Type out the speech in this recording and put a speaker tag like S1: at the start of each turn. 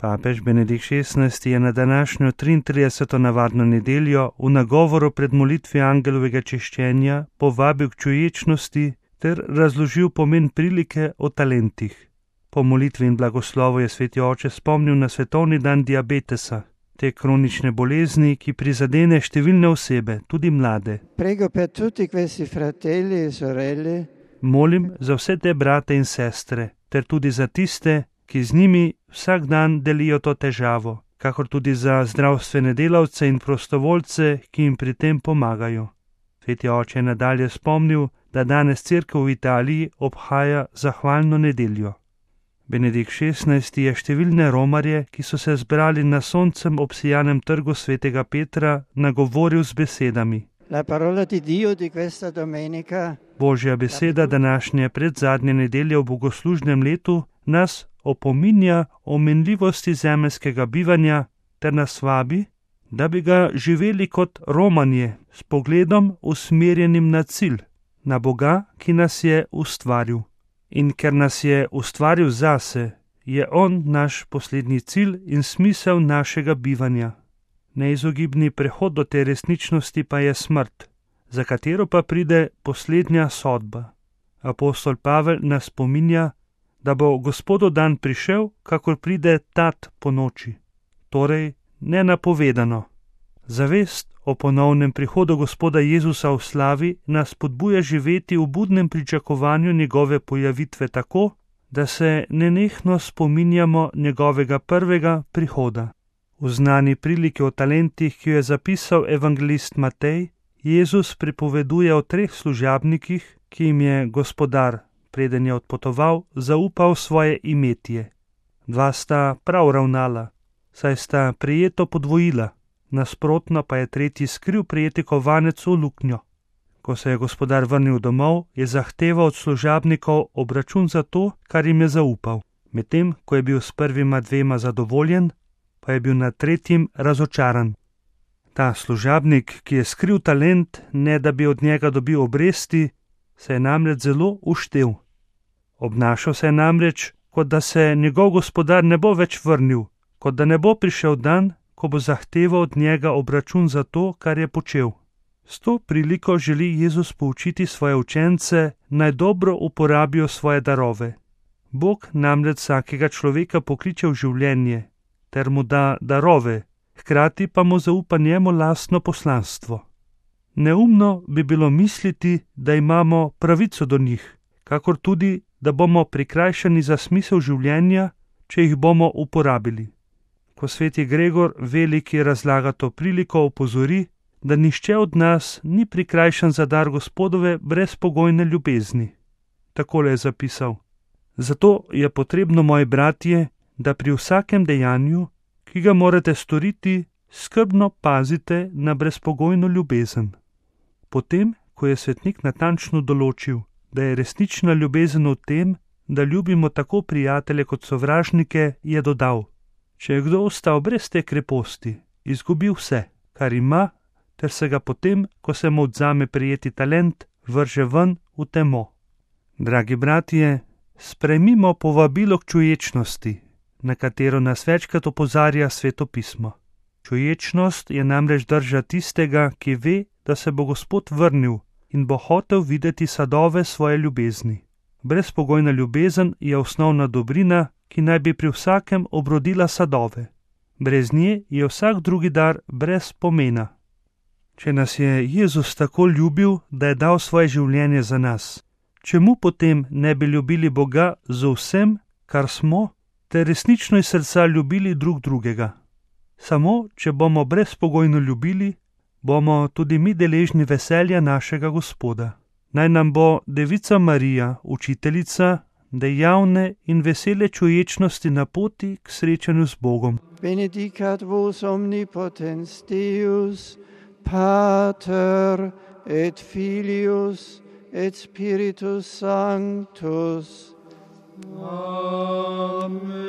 S1: Papež Benedikt XVI je na današnjo 33. navadno nedeljo v nagovoru pred molitvijo angelovega češčenja povabil k čuječnosti ter razložil pomen prilike o talentih. Po molitvi in blagoslovu je sveti oče spomnil na svetovni dan diabetesa, te kronične bolezni, ki prizadene številne osebe, tudi mlade.
S2: Prego per tutti questi fratelli e sorelle.
S1: Molim za vse te brate in sestre, ter tudi za tiste, ki z njimi vsak dan delijo to težavo, kakor tudi za zdravstvene delavce in prostovoljce, ki jim pri tem pomagajo. Sveti oče je nadalje spomnil, da danes cerkev v Italiji obhaja zahvalno nedeljo. Benedikt XVI je številne romarje, ki so se zbrali na soncem obsijanem trgu svetega Petra, nagovoril z besedami.
S2: La parola di Dio di questa domenica.
S1: Božja beseda današnje predzadnje nedelje v bogoslužnem letu nas opominja o minljivosti zemeljskega bivanja ter nas vabi, da bi ga živeli kot romanje s pogledom usmerjenim na cilj, na Boga, ki nas je ustvaril. In ker nas je ustvaril zase, je On naš poslednji cilj in smisel našega bivanja. Neizogibni prehod do te resničnosti pa je smrt, za katero pa pride poslednja sodba. Apostol Pavel nas spominja, da bo Gospodov dan prišel, kakor pride tat po noči, torej nenapovedano. Zavest o ponovnem prihodu Gospoda Jezusa v slavi nas podbuja živeti v budnem pričakovanju njegove pojavitve tako, da se nenehno spominjamo njegovega prvega prihoda. V znani priliki o talentih, ki jo je zapisal evangelist Matej, Jezus pripoveduje o 3 služabnikih, ki jim je gospodar, preden je odpotoval, zaupal svoje imetje. 2 sta prav ravnala, saj sta prijeto podvojila, nasprotno pa je tretji skril prijeti kovanec v luknjo. Ko se je gospodar vrnil domov, je zahteval od služabnikov obračun za to, kar jim je zaupal. Medtem, ko je bil s prvima 2 zadovoljen, pa je bil nad tretjim razočaran. Ta služabnik, ki je skril talent, ne da bi od njega dobil obresti, se je namreč zelo uštel. Obnašal se je namreč, kot da se njegov gospodar ne bo več vrnil, kot da ne bo prišel dan, ko bo zahteval od njega obračun za to, kar je počel. S to priliko želi Jezus poučiti svoje učence, naj dobro uporabijo svoje darove. Bog namreč vsakega človeka pokliče v življenje, ter mu da darove, hkrati pa mu zaupa njemu lastno poslanstvo. Neumno bi bilo misliti, da imamo pravico do njih, kakor tudi, da bomo prikrajšani za smisel življenja, če jih bomo uporabili. Ko sveti Gregor Veliki razlaga to priliko, opozori, da nihče od nas ni prikrajšan za dar Gospodove brezpogojne ljubezni. Takole je zapisal: Zato je potrebno, moji bratje, da pri vsakem dejanju, ki ga morate storiti, skrbno pazite na brezpogojno ljubezen. Potem, ko je svetnik natančno določil, da je resnična ljubezen v tem, da ljubimo tako prijatelje kot sovražnike, je dodal: Če je kdo ostal brez te kreposti, izgubi vse, kar ima, ter se ga potem, ko se mu odzame prijeti talent, vrže ven v temo. Dragi bratje, sprejmimo povabilo k čuječnosti, na katero nas večkrat opozarja Sveto pismo. Čuječnost je namreč drža tistega, ki ve, da se bo Gospod vrnil in bo hotel videti sadove svoje ljubezni. Brezpogojna ljubezen je osnovna dobrina, ki naj bi pri vsakem obrodila sadove. Brez nje je vsak drugi dar brez pomena. Če nas je Jezus tako ljubil, da je dal svoje življenje za nas, čemu potem ne bi ljubili Boga z vsem, kar smo, ter resnično iz srca ljubili drug drugega? Samo, če bomo brezpogojno ljubili, bomo tudi mi deležni veselja našega Gospoda. Naj nam bo Devica Marija, učiteljica dejavne in vesele čuječnosti na poti k srečanju z Bogom.
S2: Benedicat vos omnipotens Deus, Pater et Filius et Spiritus Sanctus. Amen.